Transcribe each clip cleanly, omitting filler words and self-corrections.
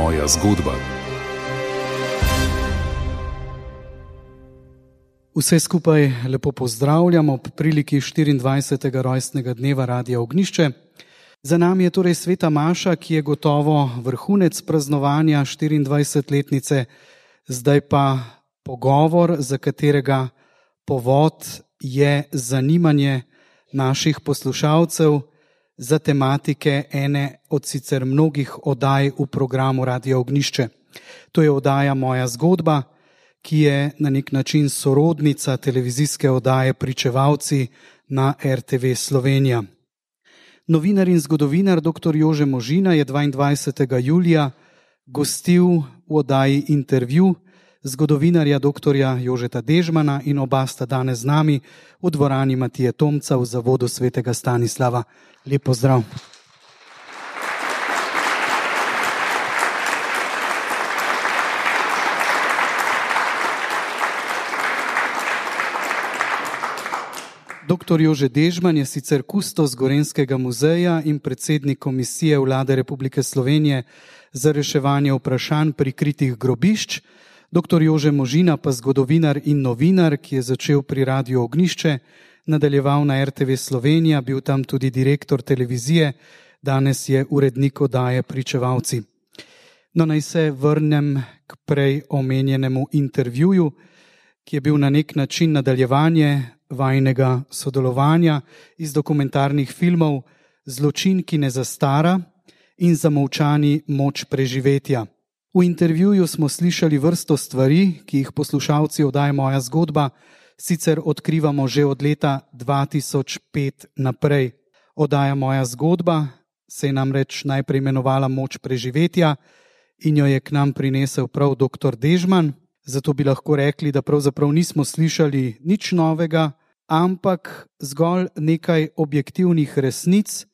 Moja zgodba. Vse skupaj lepo pozdravljamo ob priliki 24. rojstnega dneva Radia Ognjišče. Za nami je torej sveta maša, ki je gotovo vrhunec praznovanja 24-letnice, zdaj pa pogovor, za katerega povod je zanimanje naših poslušalcev za tematike ene od sicer mnogih oddaj v programu Radia Ognjišče. To je oddaja Moja zgodba, ki je na nek način sorodnica televizijske oddaje Pričevalci na RTV Slovenija. Novinar in zgodovinar dr. Jože Možina je 22. julija gostil v oddaji Intervju zgodovinarja dr. Jožeta Dežmana in oba sta danes z nami v dvorani Matije Tomca v Zavodu svetega Stanislava. Lep pozdrav. Dr. Jože Dežman je sicer kustos Gorenjskega muzeja in predsednik Komisije Vlade Republike Slovenije za reševanje vprašanj prikritih grobišč, dr. Jože Možina pa zgodovinar in novinar, ki je začel pri Radiu Ognjišče, nadaljeval na RTV Slovenija, bil tam tudi direktor televizije, danes je urednik oddaje Pričevalci. No, naj se vrnem k prej omenjenemu intervjuju, ki je bil na nek način nadaljevanje vajnega sodelovanja iz dokumentarnih filmov Zločin, ki ne zastara in Zamolčani moč preživetja. V intervjuju smo slišali vrsto stvari, ki jih poslušalci oddaje Moja zgodba sicer odkrivamo že od leta 2005 naprej. Oddaja Moja zgodba se je namreč najprej imenovala Moč preživetja in jo je k nam prinesel prav dr. Dežman. Zato bi lahko rekli, da pravzaprav nismo slišali nič novega, ampak zgolj nekaj objektivnih resnic,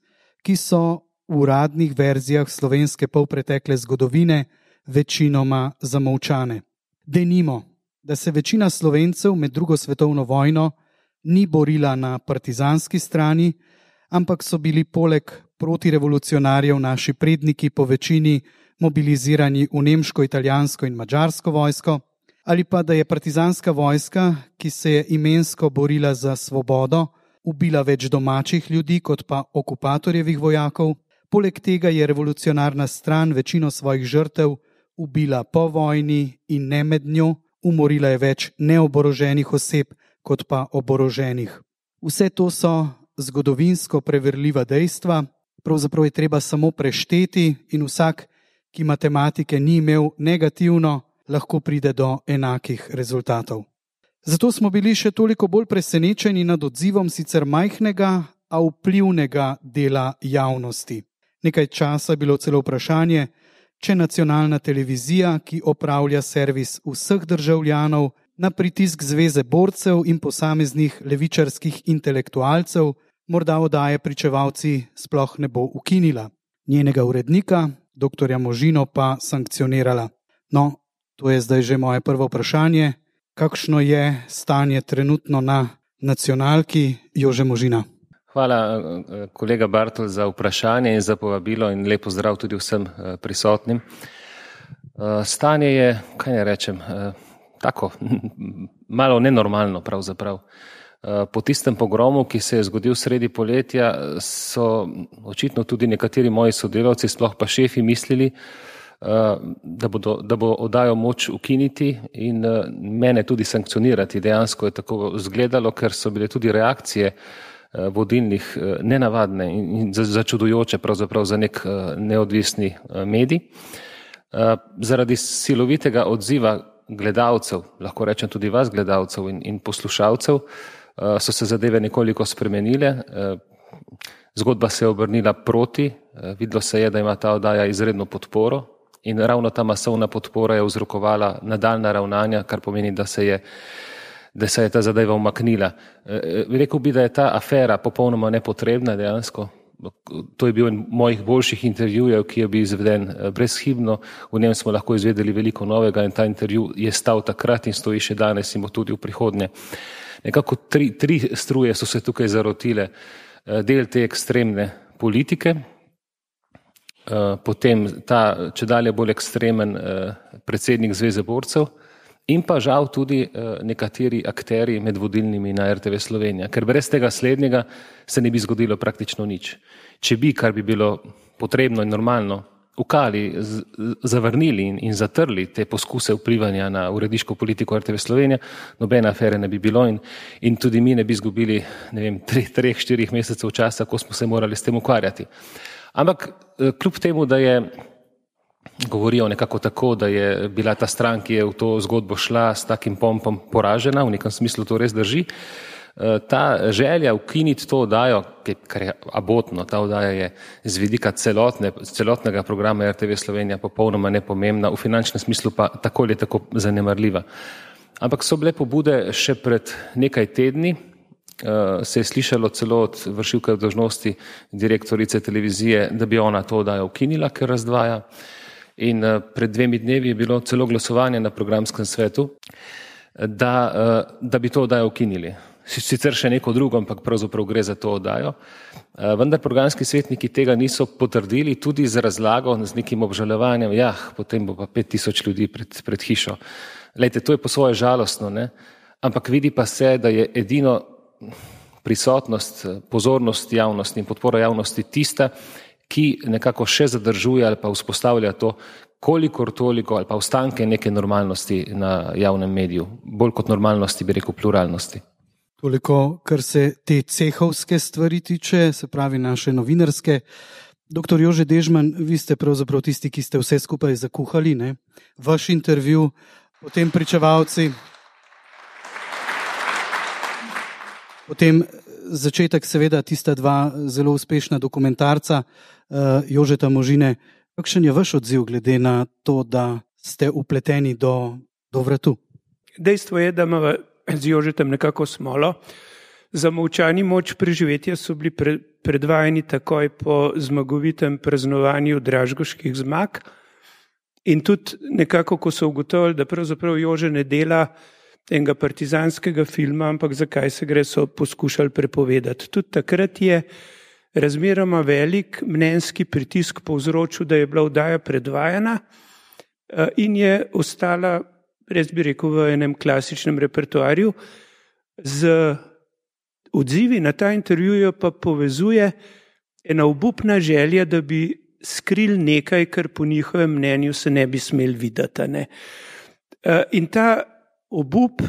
ki so v uradnih verzijah slovenske polpretekle zgodovine večinoma zamolčane. Denimo, da se večina Slovencev med drugo svetovno vojno ni borila na partizanski strani, ampak so bili poleg protirevolucionarjev naši predniki po večini mobilizirani v nemško, italijansko in madžarsko vojsko, ali pa da je partizanska vojska, ki se je imensko borila za svobodo, ubila več domačih ljudi kot pa okupatorjevih vojakov. Poleg tega je revolucionarna stran večino svojih žrtev ubila po vojni in ne med njo, umorila je več neoboroženih oseb kot pa oboroženih. Vse to so zgodovinsko preverljiva dejstva, pravzaprav je treba samo prešteti in vsak, ki matematike ni imel negativno, lahko pride do enakih rezultatov. Zato smo bili še toliko bolj presenečeni nad odzivom sicer majhnega, a vplivnega dela javnosti. Nekaj časa je bilo celo vprašanje, če nacionalna televizija, ki opravlja servis vseh državljanov, na pritisk Zveze borcev in posameznih levičarskih intelektualcev, morda oddaje Pričevalci sploh ne bo ukinila. Njenega urednika, dr. Možino, pa sankcionirala. No, to je zdaj že moje prvo vprašanje. Kakšno je stanje trenutno na nacionalki? Jože Možina. Hvala, kolega Bartol, za vprašanje in za povabilo in lep pozdrav tudi vsem prisotnim. Stanje je, kaj ne rečem, tako, malo nenormalno pravzaprav. Po tistem pogromu, ki se je zgodil sredi poletja, so očitno tudi nekateri moji sodelavci, sploh pa šefi, mislili, da bo oddajo moč ukiniti in mene tudi sankcionirati. Dejansko je tako izgledalo, ker so bile tudi reakcije vodilnih nenavadne in začudujoče pravzaprav za nek neodvisni medij. Zaradi silovitega odziva gledalcev, lahko rečem tudi vas gledalcev in poslušalcev, so se zadeve nekoliko spremenile. Zgodba se je obrnila proti, videlo se je, da ima ta oddaja izredno podporo in ravno ta masovna podpora je vzrokovala nadaljnja ravnanja, kar pomeni, da se je ta zadeva umaknila. Rekel bi, da je ta afera popolnoma nepotrebna dejansko. To je bil en mojih boljših intervjujev, ki je bil izveden brezhibno. V njem smo lahko izvedeli veliko novega in ta intervju je stal takrat in stoji še danes in bo tudi v prihodnje. Nekako tri struje so se tukaj zarotile. Del te ekstremne politike, potem ta čedalje bolj ekstremen predsednik Zveze borcev in pa žal tudi nekateri akteri med vodilnimi na RTV Slovenija, ker brez tega slednjega se ne bi zgodilo praktično nič. Če bi, kar bi bilo potrebno in normalno, ukali, zavrnili in zatrli te poskuse vplivanja na uredniško politiko RTV Slovenija, nobene afere ne bi bilo in tudi mi ne bi izgubili, 3-4 mesecev časa, ko smo se morali s tem ukvarjati. Ampak kljub temu, da je govorijo nekako tako, da je bila ta stran, ki je v to zgodbo šla s takim pompom poražena, v nekem smislu to res drži, ta želja ukiniti to oddajo, kar je abotno, ta oddaja je z vidika celotnega programa RTV Slovenija popolnoma nepomembna, v finančnem smislu pa tako ali tako zanemarljiva. Ampak so bile pobude še pred nekaj tedni, se je slišalo celo od vršilke dolžnosti direktorice televizije, da bi ona to oddajo ukinila, ker razdvaja. In pred 2 dnevi je bilo celo glasovanje na programskem svetu, da bi to oddajo ukinili. Sicer še neko drugo, ampak pravzaprav gre za to oddajo. Vendar programski svetniki tega niso potrdili, tudi z razlago, z nekim obžalovanjem, potem bo pa 5000 ljudi pred hišo. Lejte, to je po svoje žalostno, ne? Ampak vidi pa se, da je edino prisotnost, pozornost javnosti in podpora javnosti tista, ki nekako še zadržuje ali pa vzpostavlja to, kolikor toliko ali pa ostanke neke normalnosti na javnem mediju, bolj kot normalnosti, bi rekel, pluralnosti. Toliko, kar se te cehovske stvari tiče, se pravi naše novinarske. Doktor Jože Dežman, vi ste pravzaprav tisti, ki ste vse skupaj zakuhali, ne? Vaš intervju, potem pričevalci, potem začetek seveda tista 2 zelo uspešna dokumentarca Jožeta Možine. Kakšen je vaš odziv glede na to, da ste upleteni do vratu? Dejstvo je, da ima z Jožetem nekako smolo. Zamolčani moč preživetja so bili predvajani takoj po zmagovitem praznovanju dražgoških zmag in tudi nekako, ko so ugotovili, da pravzaprav Jože ne dela enega partizanskega filma, ampak zakaj se gre, so poskušali prepovedati. Tudi takrat je razmeroma velik mnenjski pritisk povzročil, da je bila oddaja predvajana in je ostala, res bi rekel, v enem klasičnem repertoarju. Z odzivi na ta intervju pa povezuje ena obupna želja, da bi skrili nekaj, kar po njihovem mnenju se ne bi smeli videti. Ne? In ta obup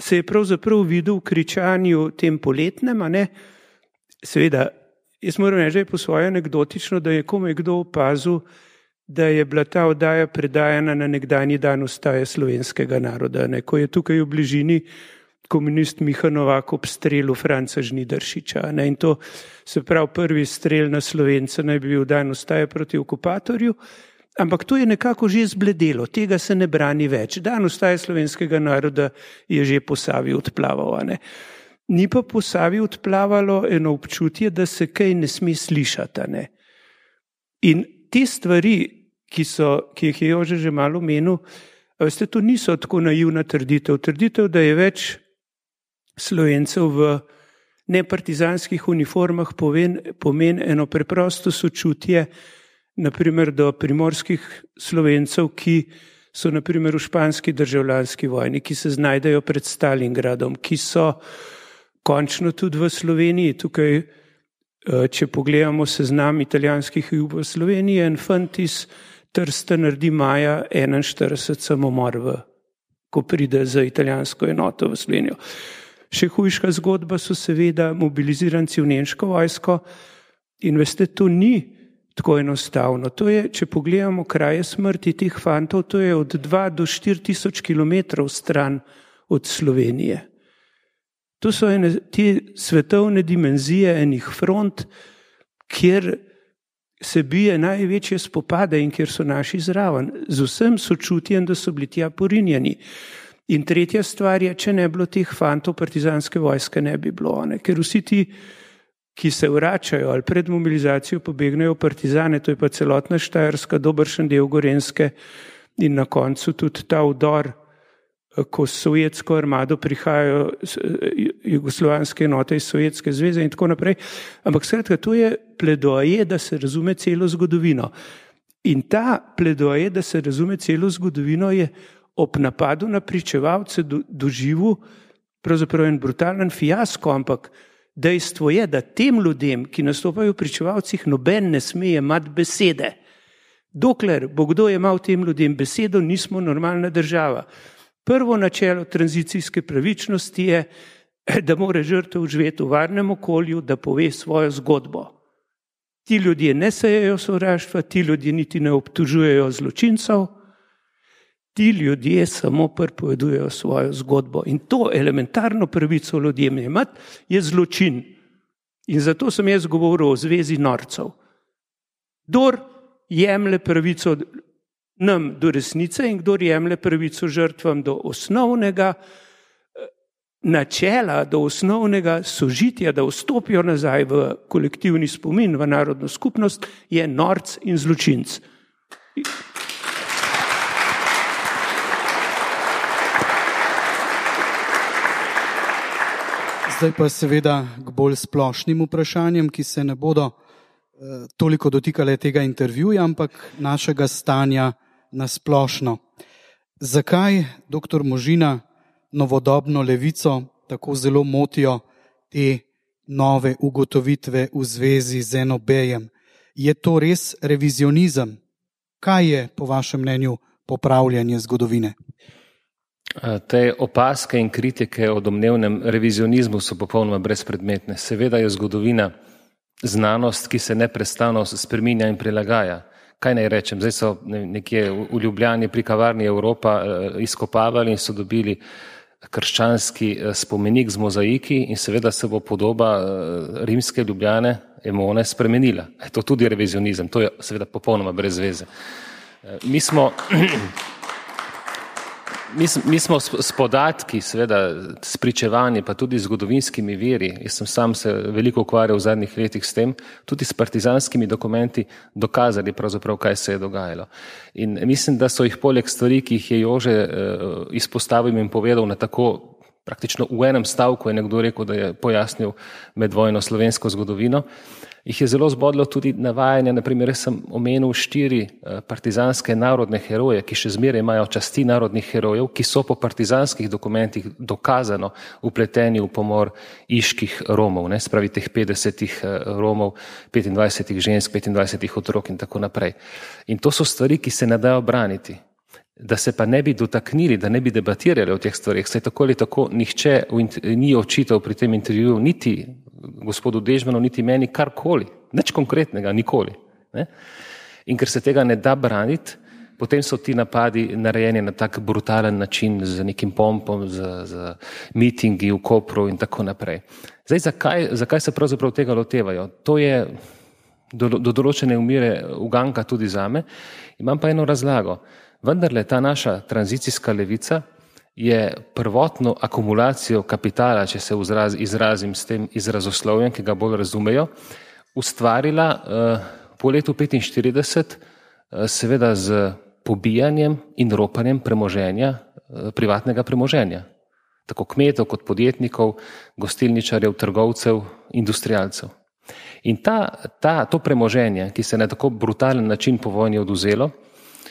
se je pravzaprav videl v kričanju tem poletnem, a ne? Seveda, jaz moram reči, po svoje anekdotično, da je komaj kdo opazil, da je bila ta oddaja predajana na nekdanji dan ustaje slovenskega naroda, ne? Ko je tukaj v bližini komunist Miha Novak obstrelil Franca Žnidaršiča. Ne? In to se pravi prvi strel na Slovence naj bi bil dan ustaje proti okupatorju, ampak to je nekako že zbledelo, tega se ne brani več. Dan ustaje slovenskega naroda je že po Savi odplaval. Ne? Ni pa po Savi odplavalo eno občutje, da se kaj ne sme slišati. Ne? In te stvari, ki jih je Jože že malo omenil, veste, to niso tako naivna trditev. Trditev, da je več Slovencev v nepartizanskih uniformah pomeni eno preprosto sočutje, naprimer do primorskih Slovencev, ki so naprimer v španski državljanski vojni, ki se znajdejo pred Stalingradom, ki so končno tudi v Sloveniji. Tukaj, če pogledamo seznam italijanskih jug v Sloveniji, en fant iz Trsta naredi maja 41 samomor, ko pride za italijansko enoto v Slovenijo. Še hujša zgodba so seveda mobiliziranci v nemško vojsko in veste, to ni tako enostavno. To je, če pogledamo kraje smrti teh fantov, to je od 2 do 4 tisoč kilometrov stran od Slovenije. To so te svetovne dimenzije enih front, kjer se bije največje spopade in kjer so naši zraven, z vsem sočutjem, da so bili tja porinjeni. In tretja stvar je, če ne bilo teh fantov, partizanske vojske ne bi bilo. Ne? Ker vsi ti, ki se vračajo ali pred mobilizacijo pobegnejo partizane, to je pa celotna Štajerska, dobršen del Gorenjske in na koncu tudi ta vdor ko s sovjetsko armado prihajajo jugoslovanske enote iz Sovjetske zveze in tako naprej. Ampak skratka, to je pledoaje, da se razume celo zgodovino. In ta pledoaje, da se razume celo zgodovino, je ob napadu na pričevalce doživel pravzaprav en brutalen fiasko, ampak dejstvo je, da tem ljudem, ki nastopajo v pričevalcih, noben ne sme imati besede. Dokler bo kdo imel tem ljudem besedo, nismo normalna država. Prvo načelo tranzicijske pravičnosti je, da mora žrtev živeti v varnem okolju, da pove svojo zgodbo. Ti ljudje ne sejejo sovraštva, ti ljudje niti ne obtožujejo zločincev, ti ljudje samo pripovedujejo svojo zgodbo. In to elementarno pravico ljudem imati je zločin. In zato sem jaz govoril o zvezi norcev. Kdor jemlje pravico nam do resnice in kdor jemlje pravico žrtvam do osnovnega načela, do osnovnega sožitja, da vstopijo nazaj v kolektivni spomin, v narodno skupnost, je norc in zločinc. Zdaj pa seveda k bolj splošnim vprašanjem, ki se ne bodo toliko dotikale tega intervjuja, ampak našega stanja na splošno. Zakaj, dr. Možina, novodobno levico tako zelo motijo te nove ugotovitve v zvezi z NOB-jem? Je to res revizionizem? Kaj je po vašem mnenju popravljanje zgodovine? Te opaske in kritike o domnevnem revizionizmu so popolnoma brezpredmetne. Seveda je zgodovina znanost, ki se neprestano spreminja in prilagaja. Kaj naj rečem, zdaj so nekje v Ljubljani pri kavarni Evropa izkopavali in so dobili krščanski spomenik z mozaiki in seveda se bo podoba rimske Ljubljane, Emone, spremenila. Je to tudi revizionizem, to je seveda popolnoma brez veze. Mi smo s podatki, seveda s pričevanji, pa tudi z zgodovinskimi viri, jaz sem sam se veliko ukvarjal v zadnjih letih s tem, tudi s partizanskimi dokumenti dokazali pravzaprav, kaj se je dogajalo. In mislim, da so jih poleg stvari, ki jih je Jože izpostavil in povedal na tako praktično v enem stavku, je nekdo rekel, da je pojasnil medvojno slovensko zgodovino, jih je zelo zbodlo tudi navajanje, naprimer, jaz sem omenil 4 partizanske narodne heroje, ki še zmeraj imajo časti narodnih herojev, ki so po partizanskih dokumentih dokazano vpleteni v pomor iških Romov, ne, spravi teh 50 Romov, 25 žensk, 25 otrok in tako naprej. In to so stvari, ki se ne dajo braniti. Da se pa ne bi dotaknili, da ne bi debatirali o teh stvarih, saj tako ali tako nihče ni očital pri tem intervjuju, niti gospodu Dežmanu, niti meni karkoli, nič konkretnega, nikoli. Ne? In ker se tega ne da braniti, potem so ti napadi narejeni na tak brutalen način, z nekim pompom, z mitingi v Kopru in tako naprej. Zdaj, zakaj se pravzaprav tega lotevajo? To je do določene umire uganka tudi zame. Imam pa eno razlago. Vendarle ta naša tranzicijska levica je prvotno akumulacijo kapitala, če se izrazim s tem izrazoslovjem, ki ga bolj razumejo, ustvarila po letu 1945 seveda z pobijanjem in ropanjem premoženja, privatnega premoženja. Tako kmetov kot podjetnikov, gostilničarjev, trgovcev, industrialcev. In to premoženje, ki se na tako brutalen način po vojni odvzelo,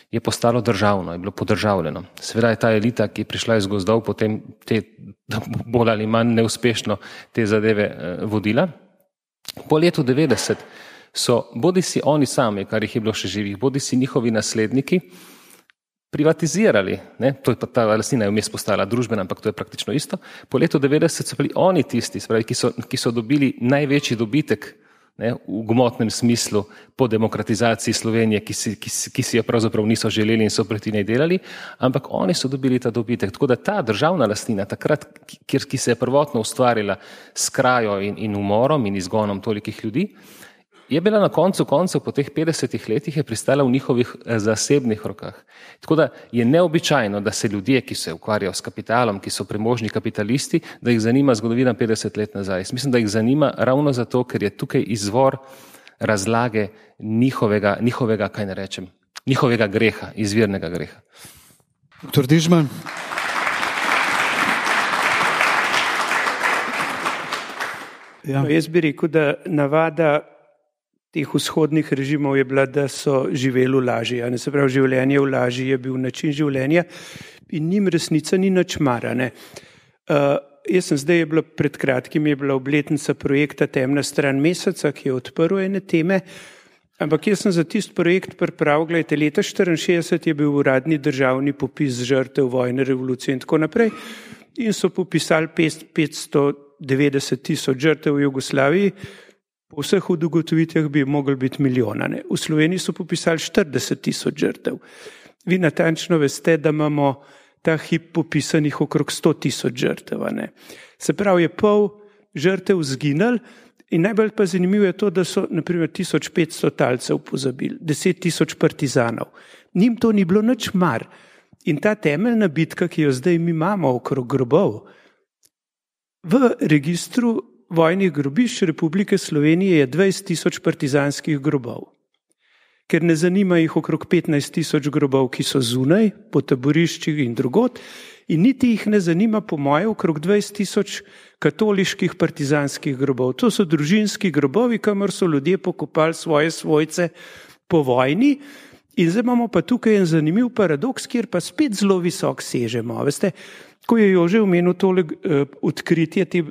je postalo državno, je bilo podržavljeno. Seveda je ta elita, ki je prišla iz gozdov, potem bolj ali manj neuspešno te zadeve vodila. Po letu 90 so bodisi oni sami, kar jih je bilo še živih, bodisi njihovi nasledniki, privatizirali, ne? To je pa ta lastnina je vmes postala družbena, ampak to je praktično isto. Po letu 90 so bili oni tisti, spravi, ki so dobili največji dobitek, ne, v gmotnem smislu po demokratizaciji Slovenije, ki si jo pravzaprav niso želeli in so proti njej delali, ampak oni so dobili ta dobitek. Tako da ta državna lastnina, takrat, ki se je prvotno ustvarila s krajo in umorom in izgonom tolikih ljudi, je bila na koncu koncev po teh 50 letih je pristala v njihovih zasebnih rokah. Tako da je neobičajno, da se ljudje, ki se ukvarjajo s kapitalom, ki so premožni kapitalisti, da jih zanima zgodovina 50 let nazaj. Mislim, da jih zanima ravno zato, ker je tukaj izvor razlage njihovega, kaj ne rečem, njihovega greha, izvirnega greha. Dr. Dežman, Ja. No, jaz bi rekel, da navada teh vzhodnih režimov je bila, da so živeli v laži. Se pravi, življenje v laži je bil način življenja in njim resnica ni nič mara. Jaz sem zdaj, pred kratkim je bila obletnica projekta Temna stran meseca, ki je odprl ene teme, ampak jaz sem za tisti projekt pripravil, gledajte, leta 1964 je bil uradni državni popis žrtev vojne, revolucije in tako naprej in so popisali 590 tisoč žrtev v Jugoslaviji, po vseh ugotovitvah bi mogli biti milijona. Ne? V Sloveniji so popisali 40 tisoč žrtev. Vi natančno veste, da imamo ta hip popisanih okrog 100 tisoč žrtev. Ne? Se pravi, je pol žrtev zginil in najbolj pa zanimivo je to, da so naprimer 1500 talcev pozabili, 10 tisoč partizanov. Njim to ni bilo nič mar. In ta temeljna bitka, ki jo zdaj mi imamo okrog grobov, v registru vojnih grobišč Republike Slovenije je 20 tisoč partizanskih grobov. Ker ne zanima jih okrog 15 tisoč grobov, ki so zunaj, po taboriščih in drugod, in niti jih ne zanima, po moje, okrog 20 tisoč katoliških partizanskih grobov. To so družinski grobovi, kamor so ljudje pokopali svoje svojce po vojni. In zdaj imamo pa tukaj en zanimiv paradoks, kjer pa spet zelo visok sežemo. Veste, ko je Jože omenil tole odkritje te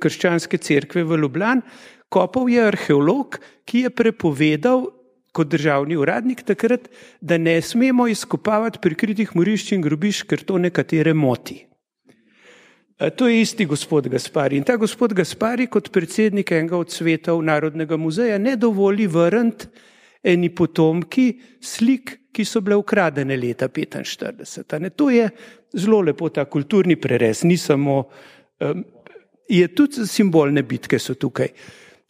krščanske cerkve v Ljubljani, kopal je arheolog, ki je prepovedal kot državni uradnik takrat, da ne smemo izkopavati prikritih morišč in grobišč, ker to nekatere moti. To je isti gospod Gaspari. In ta gospod Gaspari kot predsednik enega od svetov Narodnega muzeja ne dovoli vrniti eni potomki slik, ki so bile ukradene leta 1945. To je zelo lepo ta kulturni prerez, ni samo, je tudi simbolne bitke so tukaj.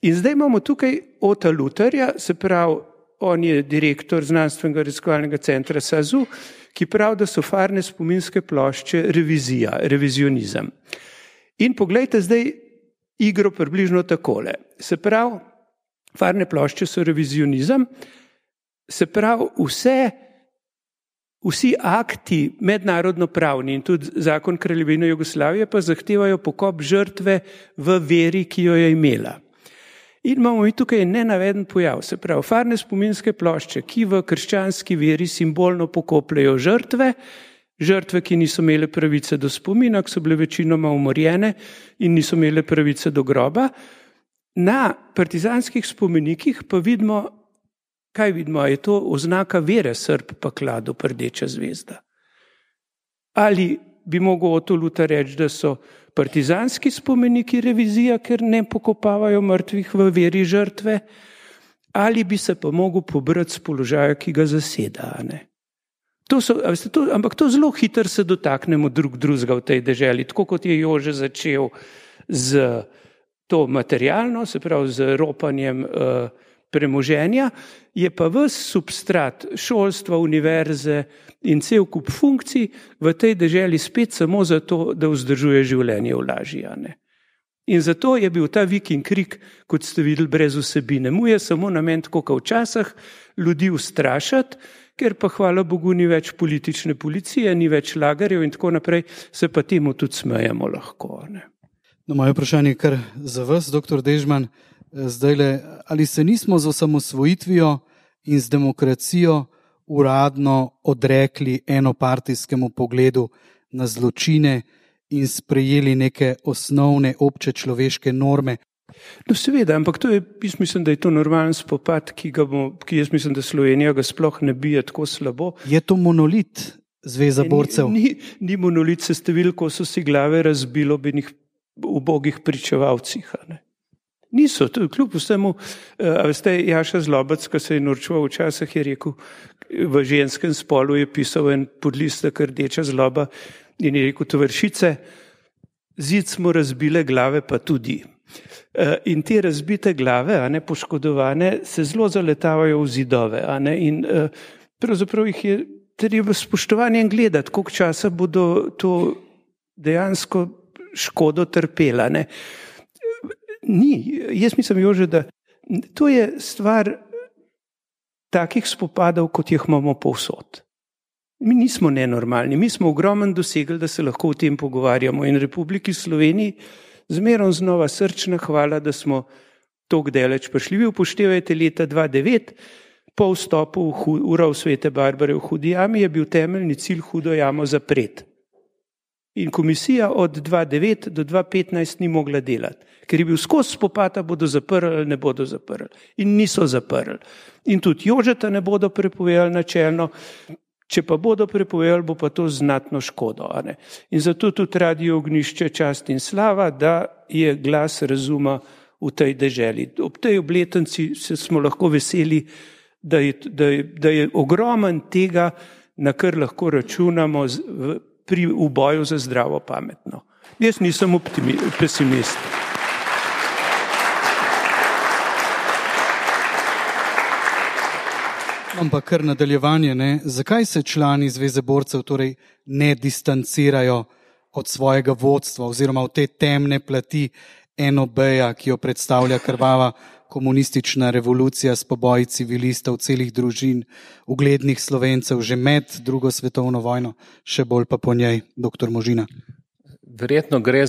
In zdaj imamo tukaj Ota Lutarja, se pravi, on je direktor znanstvenega raziskovalnega centra SAZU, ki pravi, da so farne spominske plošče revizija, revizionizem. In poglejte zdaj igro približno takole. Se pravi, farne plošče so revizionizem, se pravi, vsi akti mednarodno pravni in tudi zakon Kraljevine Jugoslavije pa zahtevajo pokop žrtve v veri, ki jo je imela. In imamo mi tukaj nenaveden pojav, se pravi, farne spominske plošče, ki v krščanski veri simbolno pokopljajo žrtve, ki niso imele pravice do spomina, ki so bile večinoma umorjene in niso imele pravice do groba. Na partizanskih spomenikih pa vidimo, kaj vidimo, je to oznaka vere, srp pa klado, rdeča zvezda. Ali bi mogel Oto Lutar reči, da so partizanski spomeniki revizija, ker ne pokopavajo mrtvih v veri žrtve, ali bi se pa mogel pobrati z položaja, ki ga zaseda. Ampak to zelo hitro se dotaknemo drugega v tej deželi, tako kot je Jože začel z to materialno, se pravi z ropanjem premoženja, je pa ves substrat šolstva, univerze in cel kup funkcij v tej deželi spet samo zato, da vzdržuje življenje v laži. In zato je bil ta vik in krik, kot ste videli, brez vsebine. Mu je samo namen, tako kot včasih, ljudi ustrašati, ker pa hvala Bogu ni več politične policije, ni več lagarjev in tako naprej, se pa temu tudi smejemo lahko. No, moje vprašanje je kar za vas, dr. Dežman. Zdajle, ali se nismo z osamosvojitvijo in z demokracijo uradno odrekli enopartijskemu pogledu na zločine in sprejeli neke osnovne obče človeške norme? No seveda, ampak to je, jaz mislim, da je to normalen spopad, ki jaz mislim, da Slovenija ga sploh ne bije tako slabo. Je to monolit Zveza borcev? Ni monolit, se ste videli, ko so si glave razbili ob enih ubogih pričevalcih. Niso, to je kljub vsemu, veste, Jaša Zlobec, ko se je norčeval včasih, je rekel, v ženskem spolu je pisal en podlistek Rdeča zloba in je rekel, tovarišice, zid smo razbile glave, pa tudi. In te razbite glave, poškodovane, se zelo zaletavajo v zidove. In pravzaprav jih je treba spoštovanjem gledati, koliko časa bodo to dejansko škodo trpela. Ni, jaz mislim, Jože, da to je stvar takih spopadov, kot jih imamo povsod. Mi nismo nenormalni, mi smo ogromen dosegli, da se lahko o tem pogovarjamo in Republiki Sloveniji Zmerom znova srčna hvala, da smo toliko daleč prišli. Vi upoštevajte leta 2009, po vstopu v rov Svete Barbare v Hudi jami je bil temeljni cilj Hudo jamo zapreti. In komisija od 2009 do 2015 ni mogla delati, ker je bil skozi spopad, bodo zaprli ali ne bodo zaprli. In niso zaprli. In tudi Jožeta ne bodo prepovedali načelno, če pa bodo prepovedali, bo pa to znatno škodo. In zato tudi Radio Ognjišče čast in slava, da je glas razuma v tej deželi. Ob tej obletnici smo lahko veseli, da je ogromen tega, na kar lahko računamo v boju za zdravo pametno. Jaz nisem pesimist. Ampak kar nadaljevanje, ne? Zakaj se člani Zveze borcev torej ne distancirajo od svojega vodstva oziroma od te temne plati NOB-ja, ki jo predstavlja krvava komunistična revolucija s poboji civilistov, celih družin, uglednih Slovencev že med drugo svetovno vojno, še bolj pa po njej, dr. Možina? Verjetno gre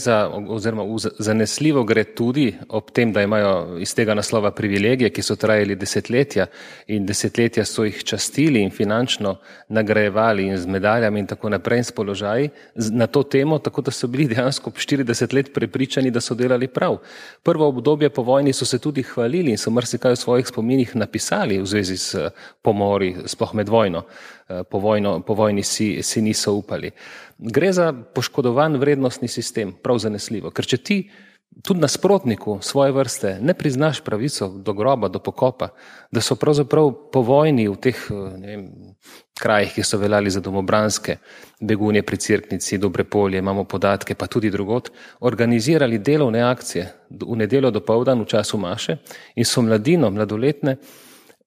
oziroma zanesljivo gre tudi ob tem, da imajo iz tega naslova privilegije, ki so trajali desetletja in desetletja so jih častili in finančno nagrajevali in z medaljami in tako naprej in s položaji na to temo, tako da so bili dejansko 40 let prepričani, da so delali prav. Prvo obdobje po vojni so se tudi hvalili in so marsikaj v svojih spominih napisali v zvezi s pomori, sploh med vojno. Po vojni si niso upali. Gre za poškodovan vrednostni sistem, prav zanesljivo, ker če ti tudi nasprotniku svoje vrste ne priznaš pravico do groba, do pokopa, da so pravzaprav po vojni v teh krajih, ki so veljali za domobranske, Begunje pri Cerknici, Dobrepolje, imamo podatke, pa tudi drugot, organizirali delovne akcije v nedeljo dopoldan v času maše in so mladino, mladoletne,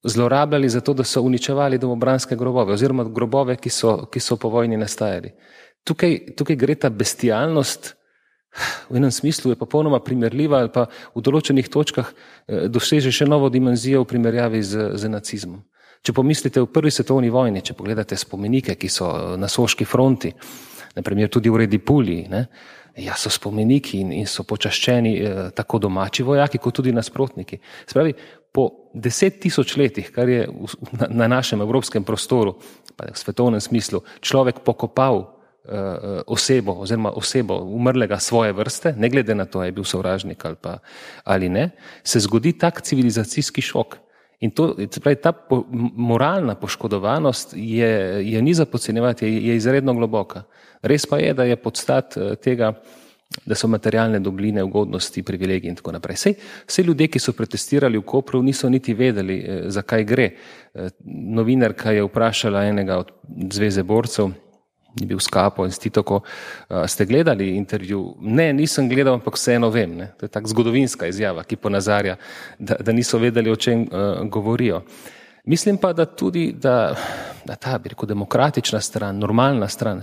zlorabljali za to, da so uničevali domobranske grobove oziroma grobove, ki so po vojni nastajali. Tukaj gre ta bestialnost, v enem smislu je popolnoma primerljiva ali pa v določenih točkah doseže še novo dimenzijo v primerjavi z nacizmom. Če pomislite v prvi svetovni vojni, če pogledate spomenike, ki so na Soški fronti, naprimer tudi v Redipulji, so spomeniki in so počaščeni tako domači vojaki, kot tudi nasprotniki. Spravi, po 10 000 letih, kar je na našem evropskem prostoru, pa v svetovnem smislu, človek pokopal osebo umrlega svoje vrste, ne glede na to, je bil sovražnik ali ne, se zgodi tak civilizacijski šok. In to, ta moralna poškodovanost je ni za podcenjevati, je izredno globoka. Res pa je, da je podstat tega, da so materialne dobline, ugodnosti, privilegiji in tako naprej. Vse ljudje, ki so protestirali v Kopru, niso niti vedeli, zakaj gre. Novinarka je vprašala enega od Zveze borcev, je bil Skapo in Stitoko, ste gledali intervju? Ne, nisem gledal, ampak vseeno vem. Ne? To je tak zgodovinska izjava, ki ponazarja, da niso vedeli, o čem govorijo. Mislim pa, da tudi, da ta, bi rekel, demokratična stran, normalna stran,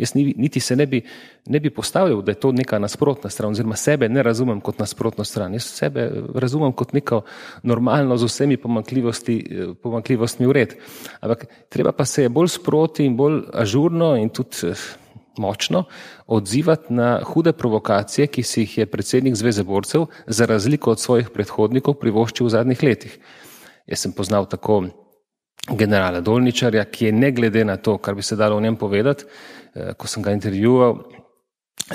jaz niti se ne bi postavljal, da je to neka nasprotna stran, oziroma sebe ne razumem kot nasprotno stran, jaz sebe razumem kot neko normalno z vsemi pomanjkljivostmi v red. Ampak treba pa se je bolj sproti in bolj ažurno in tudi močno odzivati na hude provokacije, ki si jih je predsednik Zveze borcev za razliko od svojih predhodnikov privoščil v zadnjih letih. Jaz sem poznal tako generala Dolničarja, ki je ne glede na to, kar bi se dalo o njem povedati, ko sem ga intervjuval,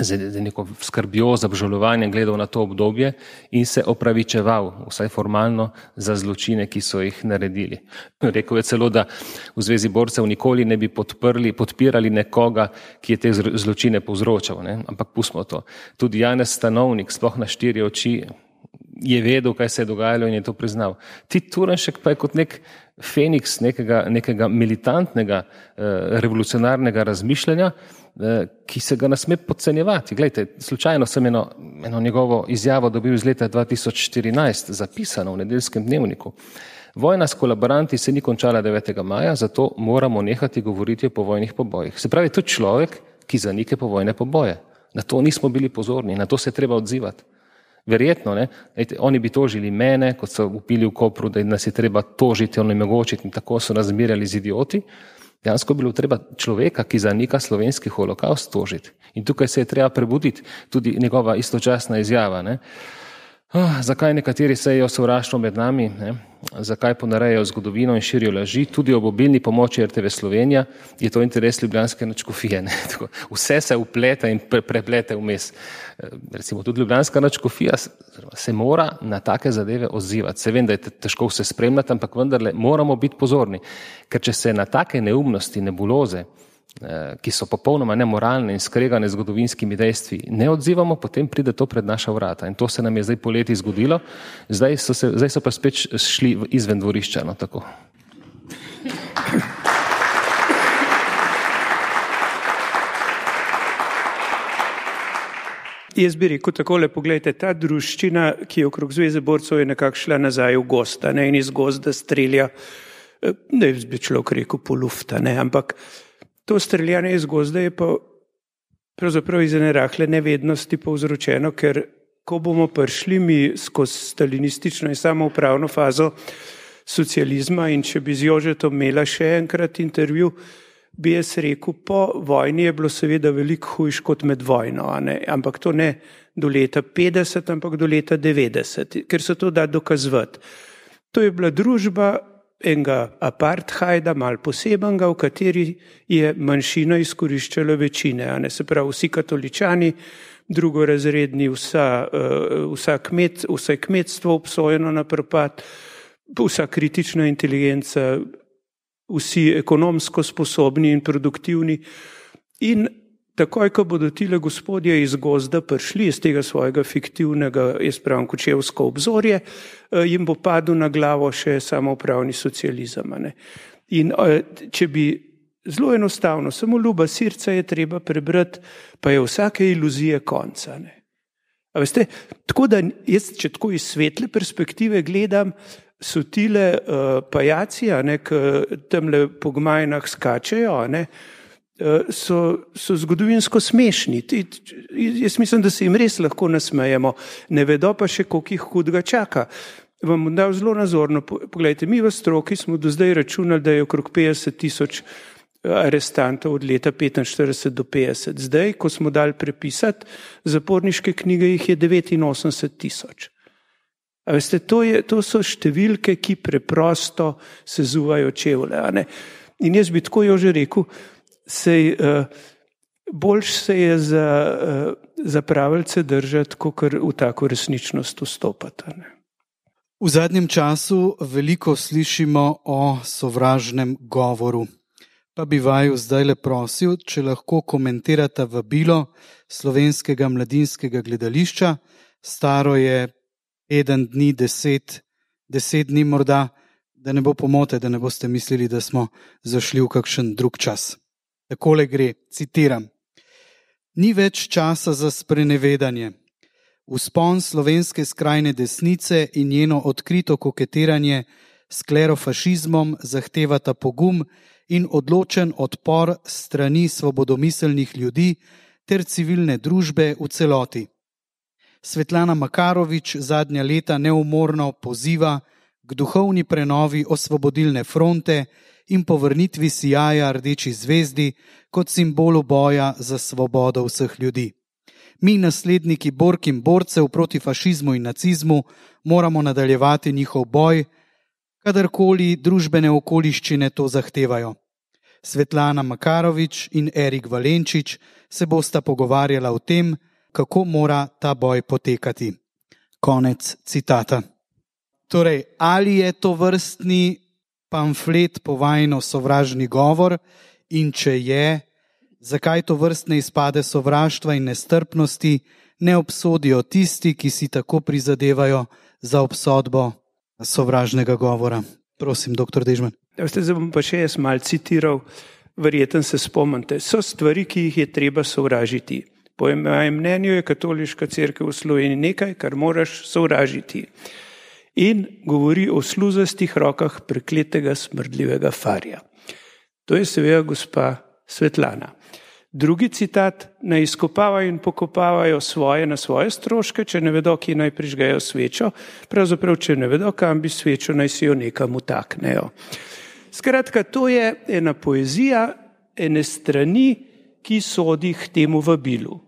z neko skrbjo, z obžalovanjem gledal na to obdobje in se opravičeval, vsaj formalno, za zločine, ki so jih naredili. Rekel je celo, da v Zvezi borcev nikoli ne bi podpirali nekoga, ki je te zločine povzročal, ne? Ampak pustimo to. Tudi Janez Stanovnik, sploh na 4 oči, je vedel, kaj se je dogajalo in je to priznal. Tit Turnšek pa je kot nek feniks nekega militantnega revolucionarnega razmišljanja, ki se ga ne sme podcenjevati. Glejte, slučajno sem eno njegovo izjavo dobil iz leta 2014, zapisano v Nedeljskem dnevniku. Vojna s kolaboranti se ni končala 9. maja, zato moramo nehati govoriti o povojnih pobojih. Se pravi, to je človek, ki zanike povojne poboje. Na to nismo bili pozorni, na to se je treba odzivati. Verjetno, ne, oni bi tožili mene, kot so upili v Kopru, da nas je treba tožiti, onemogočiti in tako so nas zmerjali z idioti. Dejansko bilo treba človeka, ki zanika slovenski holokaust, tožiti. In tukaj se je treba prebuditi, tudi njegova istočasna izjava. Ne? Zakaj nekateri sejejo sovraštvo med nami, ne? Zakaj ponarejajo zgodovino in širijo laži, tudi ob obilni pomoči RTV Slovenija, je to interes ljubljanske nadškofije. Ne? Vse se upleta in preplete vmes. Recimo tudi ljubljanska nadškofija se mora na take zadeve odzivati. Se vem, da je težko vse spremljati, ampak vendarle moramo biti pozorni, ker če se na take neumnosti, nebuloze, ki so popolnoma nemoralne in skregane z zgodovinskimi dejstvi, ne odzivamo, potem pride to pred naša vrata. In to se nam je zdaj poleti zgodilo, zdaj so pa spet šli izven dvorišča. No, tako. Jaz bi rekel takole, poglejte, ta druščina, ki je okrog Zveze borcev, je nekako šla nazaj v gosta, ne, in iz gozda strelja, ne bi človek rekel po lufta, ne, ampak to streljanje iz gozda je pa pravzaprav iz ene rahle nevednosti povzročeno, ker ko bomo prišli mi skozi stalinistično in samoupravno fazo socializma in če bi z Jožetom imela še enkrat intervju, bi jaz rekel, po vojni je bilo seveda veliko hujš kot med vojno, ampak to ne do leta 50, ampak do leta 90, ker se to da dokazovati. To je bila družba enega apartheida, malo posebenega, v kateri je manjšina izkoriščala večine, se pravi vsi katoličani, drugorazredni, vse kmetstvo obsojeno na propad, vsa kritična inteligenca, vsi ekonomsko sposobni in produktivni. In takoj, ko bodo tile gospodje iz gozda prišli iz tega svojega fiktivnega, jaz pravim, kočevsko obzorje, jim bo padel na glavo še samoupravni socializem. In če bi zelo enostavno, samo ljuba srca je treba prebrati, pa je vsake iluzije konca. A veste, tako da jaz, če tako iz svetle perspektive gledam, so tile pajaci, ki tamle po gmajnah skačejo, so zgodovinsko smešni. Jaz mislim, da se jim res lahko nasmejemo. Ne vedo pa še, koliko jih hudega čaka. Vam bom dal zelo nazorno. Poglejte, mi v stroki smo do zdaj računali, da je okrog 50,000 arestantov od leta 45 do 50. Zdaj, ko smo dali prepisati zaporniške knjige, jih je 89,000. A veste, to so številke, ki preprosto sezuvajo čevlje. In jaz bi tako jo že rekel, boljš se je za pravilce držati, kakor v tako resničnost vstopati. V zadnjem času veliko slišimo o sovražnem govoru. Pa bi vaju zdaj le prosil, če lahko komentirate vabilo Slovenskega mladinskega gledališča. Staro je 1 dni, 10 dni morda, da ne bo pomote, da ne boste mislili, da smo zašli v kakšen drug čas. Takole gre, citiram. Ni več časa za sprenevedanje. Vzpon slovenske skrajne desnice in njeno odkrito koketiranje s klerofašizmom zahtevata pogum in odločen odpor strani svobodomiselnih ljudi ter civilne družbe v celoti. Svetlana Makarovič zadnja leta neumorno poziva k duhovni prenovi Osvobodilne fronte in povrnitvi sijaja rdeči zvezdi kot simbolu boja za svobodo vseh ljudi. Mi, nasledniki bork in borcev proti fašizmu in nacizmu, moramo nadaljevati njihov boj, kadarkoli družbene okoliščine to zahtevajo. Svetlana Makarovič in Erik Valenčič se bosta pogovarjala o tem, kako mora ta boj potekati. Konec citata. Torej, ali je to vrstni pamflet povajno sovražni govor in če je, zakaj to vrstne izpade sovraštva in nestrpnosti ne obsodijo tisti, ki si tako prizadevajo za obsodbo sovražnega govora? Prosim, dr. Dežman. Zdaj bom pa še jaz mal citiral, verjetno se spomnite. So stvari, ki jih je treba sovražiti. Po mojem mnenju je katoliška cerkev v Sloveniji nekaj, kar moraš sovražiti. In govori o sluzastih rokah prekletega smrdljivega farja. To je seveda gospa Svetlana. Drugi citat, naj izkopavajo in pokopavajo svoje na svoje stroške, če ne vedo, kje naj prižgejo svečo, pravzaprav, če ne vedo, kam bi svečo, naj si jo nekam utaknejo. Skratka, to je ena poezija, ene strani, ki sodi k temu vabilu.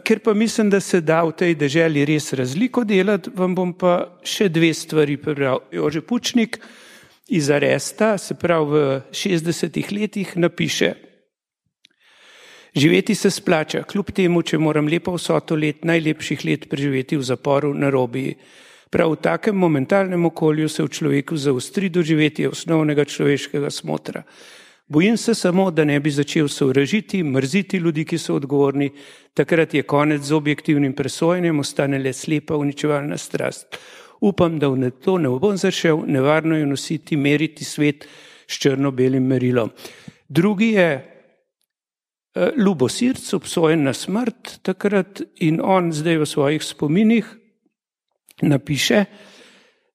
Ker pa mislim, da se da v tej deželi res razliko delati, vam bom pa še dve stvari prebral. Jože Pučnik iz Aresta, se pravi v 60 letih, napiše: živeti se splača, kljub temu, če moram lepo vsoto let, najlepših let preživeti v zaporu na Robiji. Prav v takem momentalnem okolju se v človeku zaostri doživetje osnovnega človeškega smotra. Bojim se samo, da ne bi začel sovražiti, mrziti ljudi, ki so odgovorni, takrat je konec z objektivnim presojanjem, ostane le slepa uničevalna strast. Upam, da v to ne bom zašel, nevarno je nositi, meriti svet s črno-belim merilom. Drugi je Ljubo Sirc, obsojen na smrt takrat, in on zdaj v svojih spominih napiše,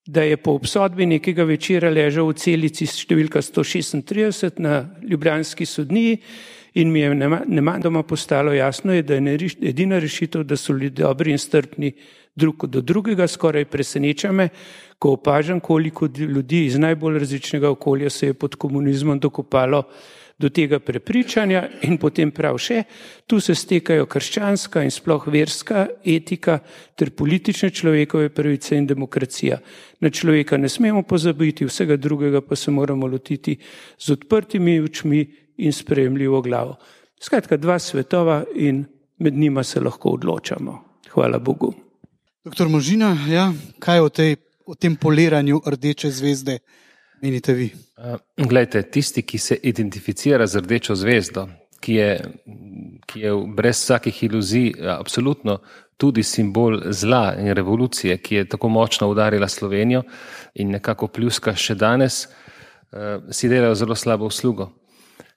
da je po obsodbi nekega večera ležal v celici številka 136 na ljubljanski sodniji in mi je nemudoma postalo jasno, da je edina rešitev, da so ljudje dobri in strpni drug do drugega. Skoraj preseneča me, ko opažam, koliko ljudi iz najbolj različnega okolja se je pod komunizmom dokopalo do tega prepričanja, in potem prav še, tu se stekajo krščanska in sploh verska etika ter politične človekove pravice in demokracija. Na človeka ne smemo pozabiti, vsega drugega pa se moramo lotiti z odprtimi očmi in sprejemljivo glavo. Skratka, dva svetova in med njima se lahko odločamo. Hvala Bogu. Doktor Možina, ja, kaj o tem poliranju rdeče zvezde menite vi? Glejte, tisti, ki se identificira z rdečo zvezdo, ki je brez vsakih iluzij absolutno tudi simbol zla in revolucije, ki je tako močno udarila Slovenijo in nekako pljuska še danes, si delajo zelo slabo uslugo.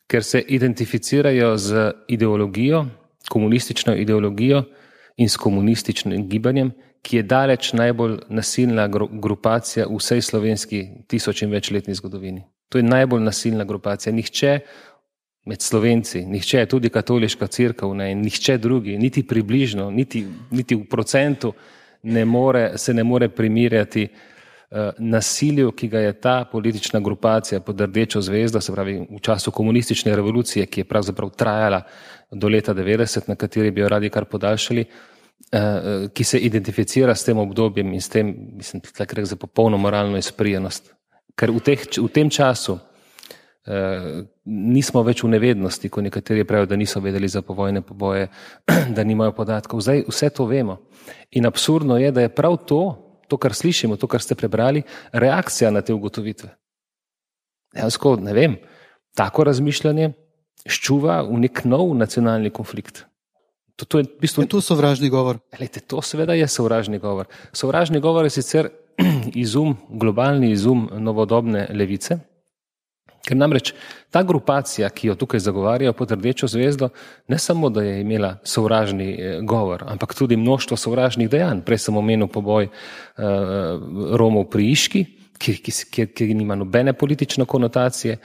Ker se identificirajo z ideologijo, komunistično ideologijo in s komunističnim gibanjem, ki je daleč najbolj nasilna grupacija v vsej slovenski 1000 in večletni zgodovini. To je najbolj nasilna grupacija. Nihče med Slovenci, nihče, tudi katoliška cerkev, nihče drugi, niti približno, niti v procentu se ne more primerjati nasilju, ki ga je ta politična grupacija pod rdečo zvezdo, se pravi v času komunistične revolucije, ki je pravzaprav trajala do leta 90, na kateri bi jo radi kar podaljšali, ki se identificira s tem obdobjem in s tem, mislim, takrat za popolno moralno izprijenost. Ker v tem času nismo več v nevednosti, ko nekateri pravijo, da niso vedeli za povojne poboje, da nimajo podatkov. Zdaj vse to vemo. In absurdno je, da je prav to, kar slišimo, to, kar ste prebrali, reakcija na te ugotovitve. Dejansko, ne vem, tako razmišljanje ščuva v nek nov nacionalni konflikt. To je v bistvu... Je to sovražni govor? Lejte, to seveda je sovražni govor. Sovražni govor je sicer globalni izum novodobne levice, ker namreč ta grupacija, ki jo tukaj zagovarjajo pod rdečo zvezdo, ne samo, da je imela sovražni govor, ampak tudi mnoštvo sovražnih dejanj. Prej sem omenil poboj Romov pri Iški, ki nima nobene politične konotacije.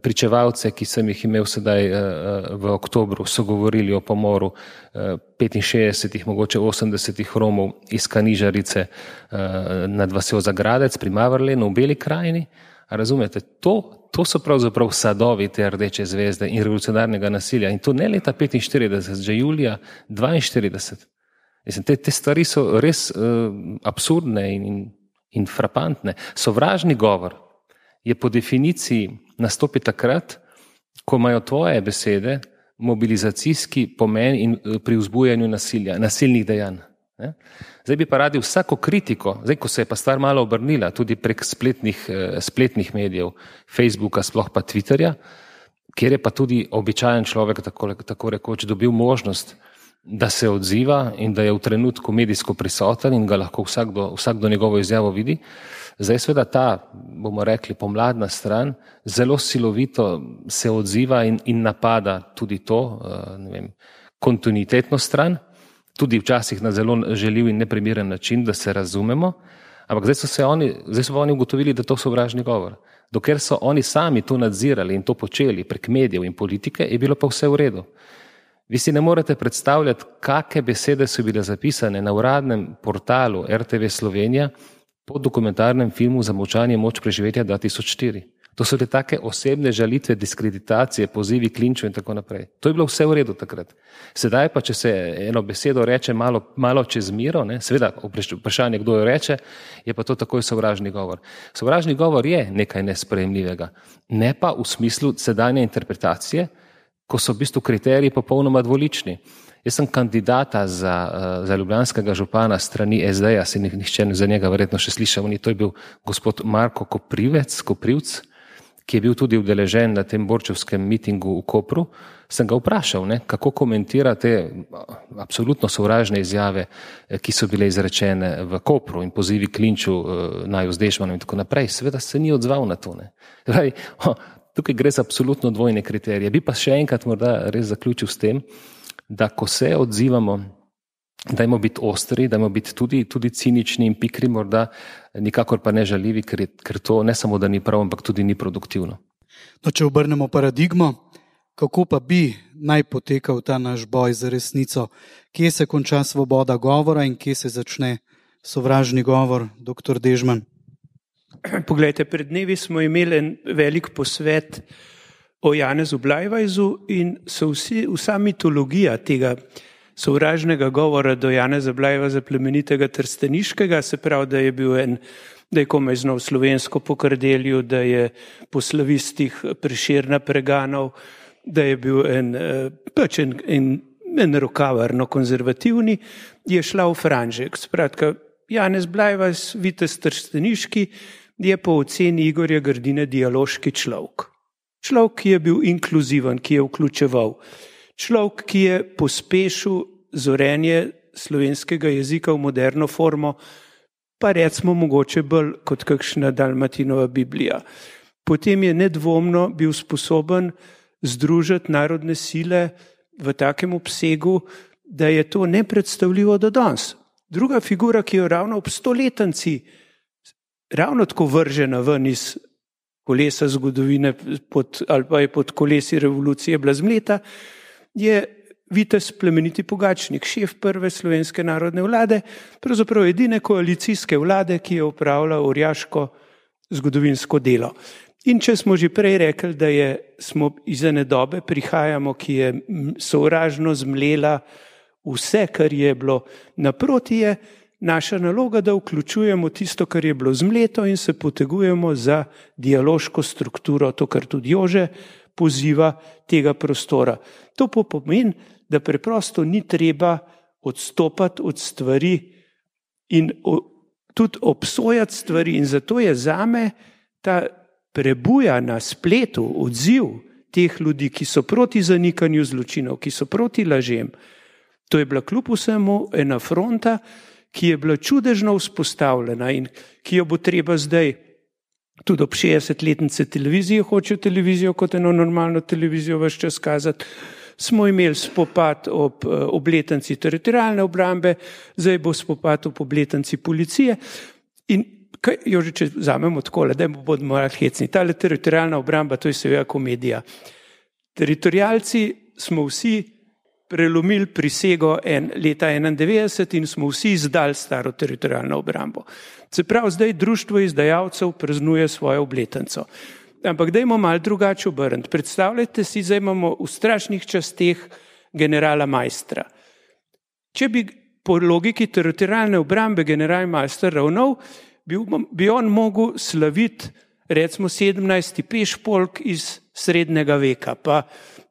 Pričevalce, ki sem jih imel sedaj v oktobru, so govorili o pomoru 65, mogoče 80 Romov iz Kanižarice nad vasjo Zagradec pri Mavrlenu v Beli krajini. A razumete, to so pravzaprav sadovi te rdeče zvezde in revolucionarnega nasilja. In to ne leta 45, že julija 42. Mislim, te stvari so res absurdne in frapantne. Sovražni govor je po definiciji nastopi takrat, ko imajo tvoje besede mobilizacijski pomen pri vzbujanju nasilja, nasilnih dejanj. Zdaj bi pa radi vsako kritiko, zdaj ko se je pa stvar malo obrnila, tudi prek spletnih medijev, Facebooka, sploh pa Twitterja, kjer je pa tudi običajen človek tako rekoč dobil možnost, da se odziva in da je v trenutku medijsko prisoten in ga lahko vsakdo njegovo izjavo vidi. Zdaj seveda ta, bomo rekli, pomladna stran zelo silovito se odziva in napada tudi to, ne vem, kontinuitetno stran, tudi včasih na zelo žaljiv in neprimeren način, da se razumemo, ampak zdaj so oni ugotovili, da to sovražni govor. Dokler so oni sami to nadzirali in to počeli prek medijev in politike, je bilo pa vse v redu. Vi si ne morete predstavljati, kakšne besede so bile zapisane na uradnem portalu RTV Slovenija po dokumentarnem filmu Zamolčanje moč preživetja 2004. To so take osebne žalitve, diskreditacije, pozivi k linču in tako naprej. To je bilo vse v redu takrat. Sedaj pa, če se eno besedo reče malo čez miro, seveda vprašanje, kdo jo reče, je pa to takoj sovražni govor. Sovražni govor je nekaj nesprejemljivega, ne pa v smislu sedanje interpretacije, ko so v bistvu kriteriji popolnoma dvolični. Jaz sem kandidata za ljubljanskega župana strani SD-ja, si nihče za njega verjetno še slišal, to je bil gospod Marko Koprivc, ki je bil tudi udeležen na tem borčevskem mitingu v Kopru. Sem ga vprašal, kako komentira te absolutno sovražne izjave, ki so bile izrečene v Kopru in pozivi k linču Naju z Dežmanom in tako naprej. Seveda se ni odzval na to. Tukaj gre za absolutno dvojne kriterije. Bi pa še enkrat morda res zaključil s tem, da ko se odzivamo, dajmo biti ostri, dajmo biti tudi cinični in pikri, morda nikakor pa ne žaljivi, ker to ne samo, da ni prav, ampak tudi ni produktivno. No, če obrnemo paradigmo, kako pa bi naj potekal ta naš boj za resnico? Kje se konča svoboda govora in kje se začne sovražni govor, dr. Dežman? Poglejte, pred dnevi smo imeli en velik posvet o Janezu Blajvajzu in vsa mitologija tega sovražnega govora do Janeza Blajvajza plemenitega Trsteniškega, se pravi, da je komaj znal slovensko po Kardelju, da je po slavistih Prešerna preganal, da je bil en rokavarno konzervativni, je šla v franžek. Skratka, Janez Blajvajz, vitez Trsteniški, je po oceni Igorja Grdine dialoški človek. Človek, ki je bil inkluziven, ki je vključeval. Človek, ki je pospešil zorenje slovenskega jezika v moderno formo, pa recimo mogoče bolj kot kakšna Dalmatinova Biblija. Potem je nedvomno bil sposoben združiti narodne sile v takem obsegu, da je to nepredstavljivo do danes. Druga figura, ki jo ravno ob stoletnici ravno tako vržena ven iz kolesa zgodovine ali pa je pod kolesi revolucije bila zmleta, je vitez plemeniti Pogačnik, šef prve slovenske narodne vlade, pravzaprav edine koalicijske vlade, ki je opravila orjaško zgodovinsko delo. In če smo že prej rekli, da smo iz ene dobe prihajamo, ki je sovražno zmlela vse, kar je bilo, naproti je naša naloga, da vključujemo tisto, kar je bilo zmleto in se potegujemo za dialoško strukturo, to, kar tudi Jože poziva tega prostora. To pa pomeni, da preprosto ni treba odstopati od stvari in tudi obsojati stvari. In zato je zame ta prebuja na spletu odziv teh ljudi, ki so proti zanikanju zločinov, ki so proti lažem. To je bila kljub vsemu ena fronta, ki je bila čudežno vzpostavljena in ki jo bo treba zdaj tudi ob 60-letnice televizije, hočejo televizijo kot eno normalno televizijo ves čas kazati. Smo imeli spopad ob obletnici teritorialne obrambe, zdaj bo spopad ob obletnici policije. In Jože, če vzamemo takole, da bomo malo hecni, tale teritorialna obramba, to je seveda komedija. Teritorialci smo vsi prelomili prisego leta 1991 in smo vsi izdali staro teritorialno obrambo. Se pravi, zdaj društvo izdajalcev praznuje svojo obletnico. Ampak dajmo malo drugače obrniti. Predstavljajte si, zdaj imamo v strašnih časteh generala Maistra. Če bi po logiki teritorialne obrambe general Maister ravnal, bi on mogel slaviti recimo 17. pešpolk iz srednjega veka, pa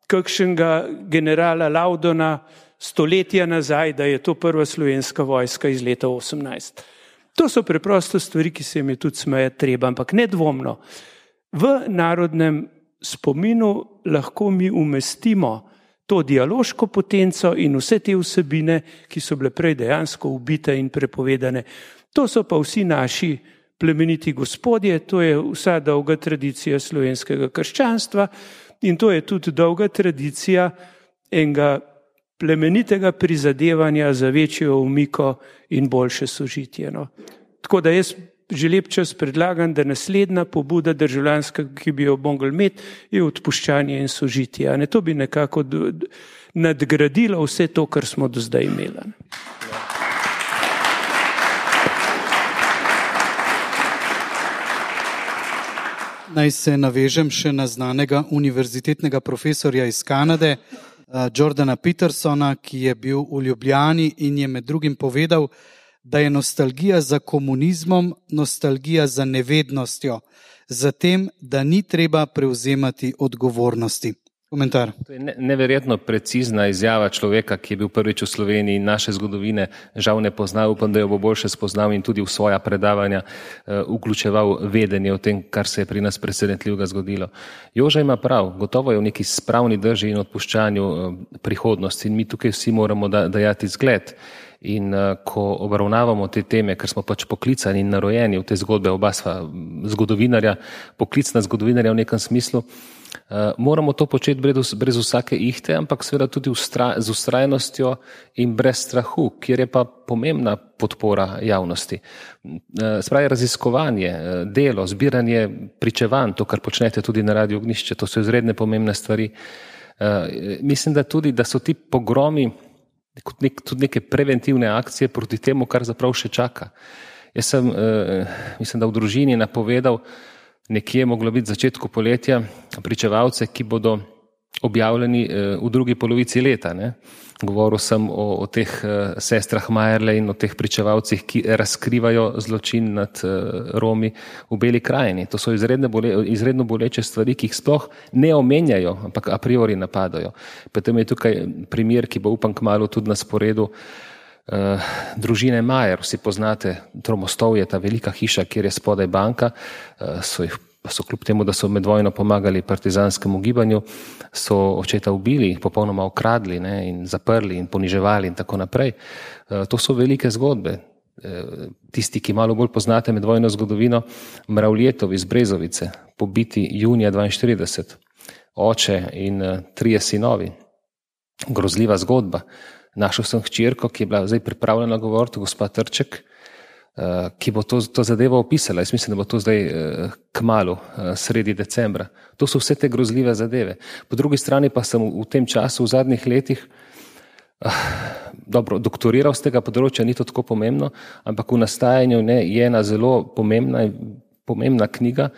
kakšnega generala Laudona stoletja nazaj, da je to prva slovenska vojska iz leta 18. To so preprosto stvari, ki se jim je tudi smejati treba, ampak nedvomno. V narodnem spominu lahko mi umestimo to dialoško potenco in vse te vsebine, ki so bile prej dejansko ubite in prepovedane. To so pa vsi naši plemeniti gospodje, to je vsa dolga tradicija slovenskega krščanstva in to je tudi dolga tradicija enega plemenitega prizadevanja za večjo umiko in boljše sožitje. No. Tako da jaz že lep čas predlagam, da naslednja pobuda državljanska, ki bi jo mogli imeti, je odpuščanje in sožitje. Ne, to bi nekako nadgradilo vse to, kar smo do zdaj imeli. Naj se navežem še na znanega univerzitetnega profesorja iz Kanade, Jordana Petersona, ki je bil v Ljubljani in je med drugim povedal, da je nostalgija za komunizmom nostalgija za nevednostjo, za tem, da ni treba prevzemati odgovornosti. Komentar. To je neverjetno precizna izjava človeka, ki je bil prvič v Sloveniji in naše zgodovine žal ne pozna, upam, da jo bo boljše spoznal in tudi v svoja predavanja vključeval vedenje o tem, kar se je pri nas presenetljivega zgodilo. Joža ima prav, gotovo je v neki spravni drži in odpuščanju prihodnosti in mi tukaj vsi moramo dajati zgled. In ko obravnavamo te teme, ker smo pač poklicani in narojeni v te zgodbe, oba sva zgodovinarja, poklicna zgodovinarja v nekem smislu, moramo to početi brez vsake ihte, ampak seveda tudi z ustrajnostjo in brez strahu, kjer je pa pomembna podpora javnosti. Spravi raziskovanje, delo, zbiranje pričevanj, to, kar počnete tudi na Radiu Ognjišče, to so izredne pomembne stvari. Mislim, da tudi, da so ti pogromi tudi neke preventivne akcije proti temu, kar zaprav še čaka. Jaz sem, mislim, da v družini napovedal nekje moglo biti v začetku poletja pričevalce, ki bodo objavljeni v drugi polovici leta. Ne? Govoril sem o teh sestrah Majerle in o teh pričevalcih, ki razkrivajo zločin nad Romi v Beli krajini. To so izredno boleče stvari, ki jih sploh ne omenjajo, ampak a priori napadajo. Potem je tukaj primer, ki bo upam kmalu tudi na sporedu, družine Majer. Vsi poznate Tromostovje, ta velika hiša, kjer je spodaj banka, so kljub temu, da so med vojno pomagali partizanskemu gibanju, so očeta ubili, popolnoma okradli, ne, in zaprli in poniževali in tako naprej. To so velike zgodbe. Tisti, ki malo bolj poznate med vojno zgodovino, Mravljetov iz Brezovice, pobiti junija 1942, oče in 3 sinovi. Grozljiva zgodba. Našel sem hčerko, ki je bila zdaj pripravljena govoriti, gospa Trček, ki bo to zadevo opisala. Jaz mislim, da bo to zdaj kmalu, sredi decembra. To so vse te grozljive zadeve. Po drugi strani pa sem v tem času, v zadnjih letih, doktoriral z tega področja, ni to tako pomembno, ampak v nastajanju je ena zelo pomembna knjiga,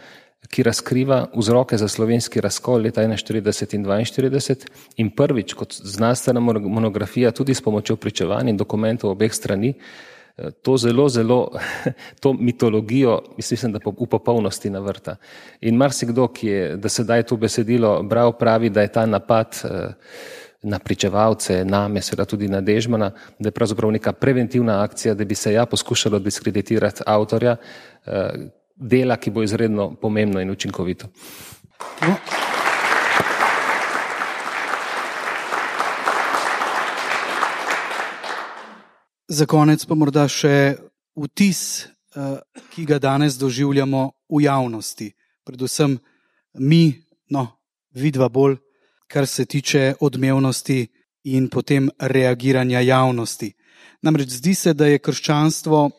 ki razkriva vzroke za slovenski razkol leta 1941 in 1942 in prvič kot znanstvena monografija tudi s pomočjo pričevanj in dokumentov obeh strani, to to mitologijo, mislim, da v popolnosti navrta. In marsikdo, ki je da sedaj to besedilo bral, pravi, da je ta napad na pričevalce, name, seveda tudi na Dežmana, da je pravzaprav neka preventivna akcija, da bi se poskušalo diskreditirati avtorja dela, ki bo izredno pomembno in učinkovito. No. Za konec pa morda še vtis, ki ga danes doživljamo v javnosti. Predvsem mi, vidva bolj, kar se tiče odmevnosti in potem reagiranja javnosti. Namreč zdi se, da je krščanstvo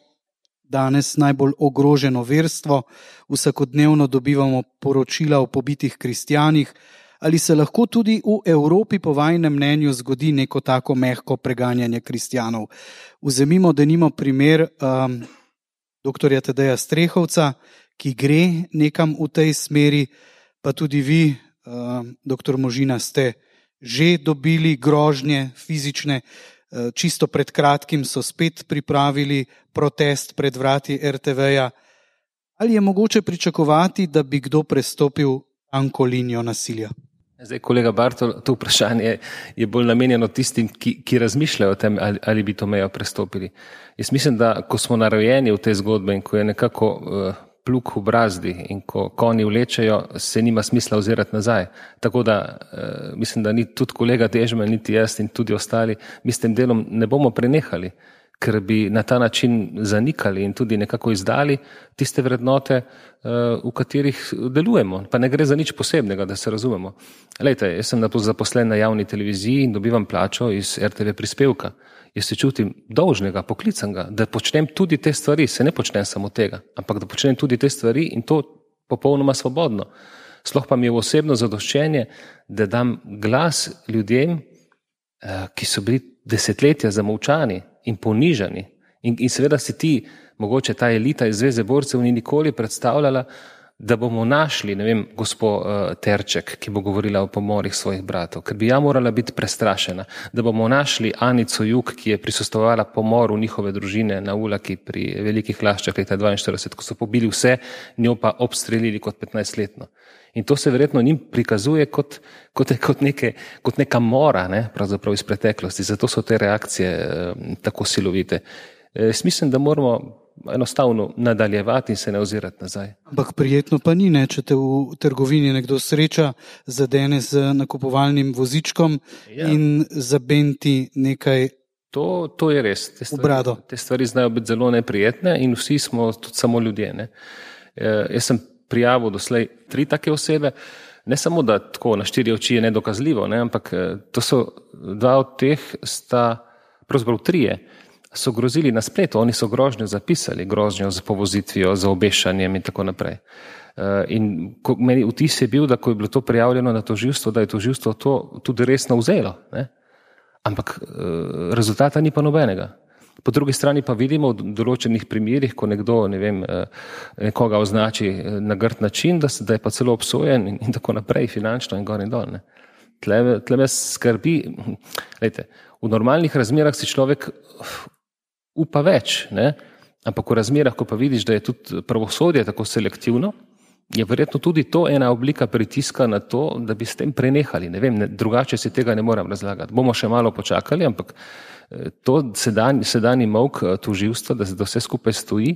danes najbolj ogroženo verstvo, vsakodnevno dobivamo poročila o pobitih kristjanih, ali se lahko tudi v Evropi po vajinem mnenju zgodi neko tako mehko preganjanje kristjanov. Vzemimo denimo primer doktorja Tadeja Strehovca, ki gre nekam v tej smeri, pa tudi vi, doktor Možina, ste že dobili grožnje fizične. Čisto pred kratkim so spet pripravili protest pred vrati RTV-ja. Ali je mogoče pričakovati, da bi kdo prestopil tanko linijo nasilja? Zdaj, kolega Bartol, to vprašanje je bolj namenjeno tistim, ki razmišljajo o tem, ali bi to mejo prestopili. Jaz mislim, da ko smo narojeni v te zgodbe in ko je nekako pluk v brazdi in ko konji vlečejo, se nima smisla ozirati nazaj. Tako da mislim, da ni tudi kolega Dežman, niti jaz in tudi ostali, mi s tem delom ne bomo prenehali, ker bi na ta način zanikali in tudi nekako izdali tiste vrednote, v katerih delujemo. Pa ne gre za nič posebnega, da se razumemo. Glejte, jaz sem zaposlen na javni televiziji in dobivam plačo iz RTV prispevka. Jaz se čutim dolžnega, poklicanega, da počnem tudi te stvari, se ne počnem samo tega, ampak da počnem tudi te stvari in to popolnoma svobodno. Sploh pa mi je osebno zadoščenje, da dam glas ljudem, ki so bili desetletja zamolčani in ponižani. In seveda si ti, mogoče ta elita iz Zveze borcev ni nikoli predstavljala, da bomo našli, ne vem, gospo Terček, ki bo govorila o pomorih svojih bratov, ker bi ja morala biti prestrašena, da bomo našli Anico Jug, ki je prisostvovala pomoru njihove družine na Ulaki pri Velikih Laščah leta 1942, ko so pobili vse, njo pa obstrelili kot 15-letno. In to se verjetno njim prikazuje kot neka mora, ne, pravzaprav iz preteklosti, zato so te reakcije tako silovite. Mislim, da moramo enostavno nadaljevati in se ne ozirati nazaj. Ampak prijetno pa ni, ne, če te v trgovini nekdo sreča, zadene z nakupovalnim vozičkom in zabenti nekaj. To je res. Te stvari znajo biti zelo neprijetne in vsi smo tudi samo ljudje. Ne. Jaz sem prijavil doslej 3 take osebe, ne samo da tako na 4 oči je nedokazljivo, ne, ampak to so 2 od teh sta, pravzaprav 3, so grozili na spletu, oni so grožnjo zapisali, grožnjo z povozitvijo, z obešanjem in tako naprej. In meni vtis je bil, da ko je bilo to prijavljeno na tožilstvo, da je tožilstvo to tudi resno vzelo, ne? Ampak rezultata ni pa nobenega. Po drugi strani pa vidimo v določenih primerih, ko nekdo, ne vem, nekoga označi na grd način, da je pa celo obsojen in tako naprej, finančno in gor in dol. Ne? Tle me skrbi, lejte, v normalnih razmerah si človek upa več, ne? Ampak v razmerah, ko pa vidiš, da je tudi pravosodje tako selektivno, je verjetno tudi to ena oblika pritiska na to, da bi s tem prenehali. Ne vem, drugače si tega ne moram razlagati. Bomo še malo počakali, ampak to sedanji molk tožilstva, da se vse skupaj stoji,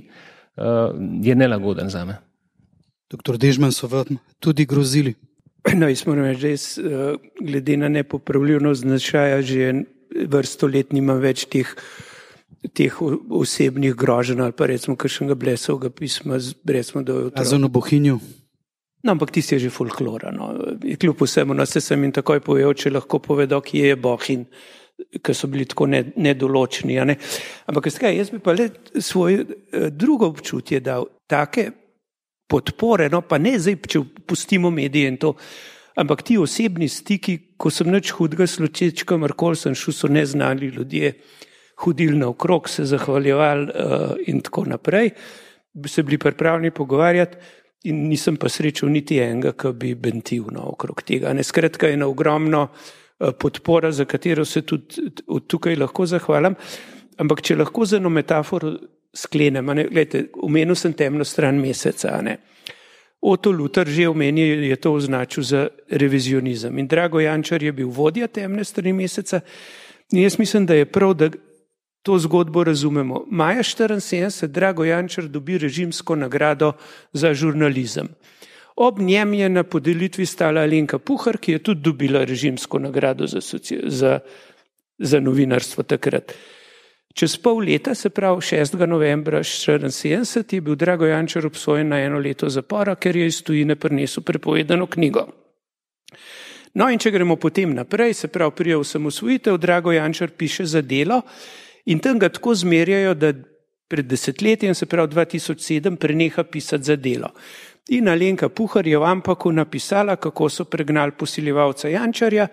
je nelagoden zame. Doktor Dežman, so vam tudi grozili? No, jaz moram reči, da glede na nepopravljivost značaja že vrsto let nimam več teh osebnih groženj ali pa recimo kakšnega blesovega pisma, recimo do otrok. A za Bohinju? No, ampak tisti je že folklora. No. Kljub vsemu, no, se sem jim takoj povedal, če lahko povedo, kje je Bohinj, ker so bili tako nedoločni. Ne? Ampak jaz bi pa le svoje drugo občutje dal, take podpore, no pa ne zdaj, če pustimo medije in to, ampak ti osebni stiki, ko sem nič hudega slučeč, kamorkoli sem šel, so neznani ljudje hodili naokrog, se zahvaljevali in tako naprej, se bili pripravljeni pogovarjati in nisem pa srečal niti enega, ki bi bentil okrog tega. Skratka, je na ogromno podpora, za katero se tudi od tukaj lahko zahvalim, ampak če lahko z eno metaforo sklenem, gledajte, omenil sem temno stran meseca, ne. Otto Lutar že omenil, je to označil za revizionizem in Drago Jančar je bil vodja temne strani meseca in jaz mislim, da je prav, da to zgodbo razumemo. Maja 1974 Drago Jančar dobi režimsko nagrado za žurnalizem. Ob njem je na podelitvi stala Alenka Puhar, ki je tudi dobila režimsko nagrado za novinarstvo takrat. Čez pol leta, se pravi 6. novembra 1974, je bil Drago Jančar obsojen na 1 leto zapora, ker je iz tujine prinesel prepovedano knjigo. No in če gremo potem naprej, se pravi prije osamosvojitev, Drago Jančar piše za Delo in tam ga tako zmerjajo, da pred desetletjem, se pravi 2007, preneha pisati za Delo. In Alenka Puhar je v Ampaku napisala, kako so pregnali posiljevalca Jančarja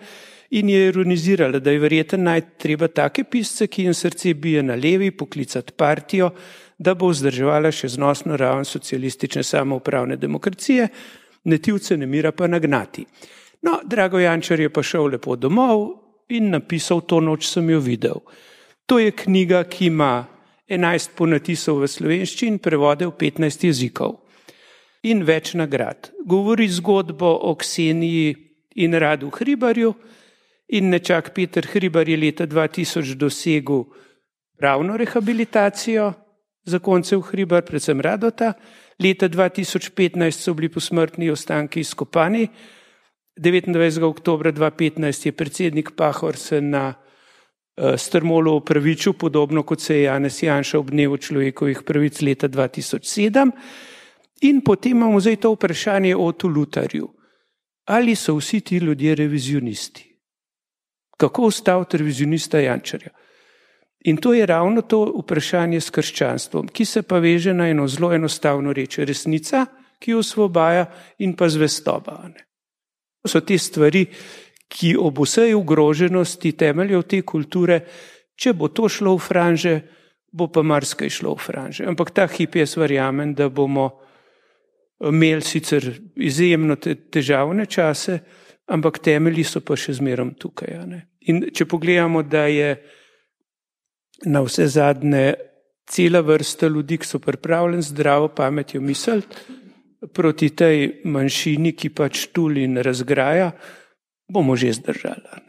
in je ironizirala, da je verjetno najti treba take pisce, ki jim srce bije na levi, poklicati partijo, da bo vzdrževala še znosno raven socialistične samoupravne demokracije, netivce nemira pa nagnati. No, Drago Jančar je pa šel lepo domov in napisal To noč sem jo videl. To je knjiga, ki ima 11 ponatisov v slovenščini, prevode v 15 jezikov in več nagrad. Govori zgodbo o Kseniji in Radu Hribarju in nečak Peter Hribar je leta 2000 dosegel pravno rehabilitacijo zakoncev Hribar, predvsem Radota. Leta 2015 so bili posmrtni ostanki izkopani. 29. oktobra 2015 je predsednik Pahor se na Strmolu opravičil, podobno kot se je Janez Janša ob dnevu človekovih pravic leta 2007. In potem imamo zdaj to vprašanje o Ottu Lutarju. Ali so vsi ti ljudje revizionisti? Kako ustaviti revizionista Jančarja? In to je ravno to vprašanje s krščanstvom, ki se pa veže na eno zelo enostavno reč. Resnica, ki jo osvobaja, in pa zvestoba. To so te stvari, ki ob vsej ogroženosti temeljev te kulture, če bo to šlo v franže, bo pa marsikaj šlo v franže. Ampak ta hip jaz verjamem, da bomo imeli sicer izjemno težavne čase, ampak temelji so pa še zmerom tukaj. In če pogledamo, da je na vse zadnje cela vrsta ljudi, ki so pripravljeni zdravo pametjo misliti, proti tej manjšini, ki pač tuli in razgraja, bomo že zdržali.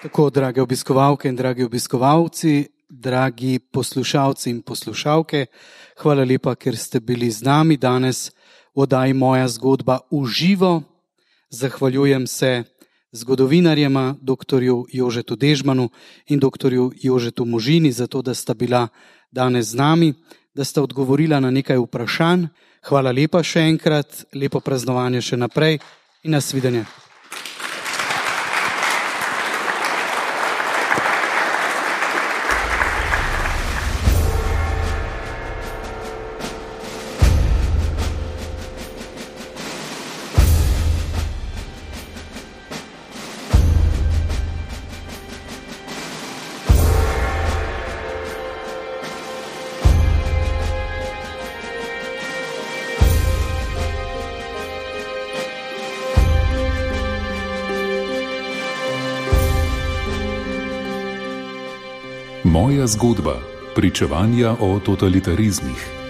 Tako, drage obiskovalke in dragi obiskovalci, dragi poslušalci in poslušalke, hvala lepa, ker ste bili z nami danes v oddaji Moja zgodba v živo. Zahvaljujem se zgodovinarjema, doktorju Jožetu Dežmanu in doktorju Jožetu Možini, za to, da sta bila danes z nami, da sta odgovorila na nekaj vprašanj. Hvala lepa še enkrat, lepo praznovanje še naprej in nasvidenje. Moja zgodba. Pričevanja o totalitarizmih.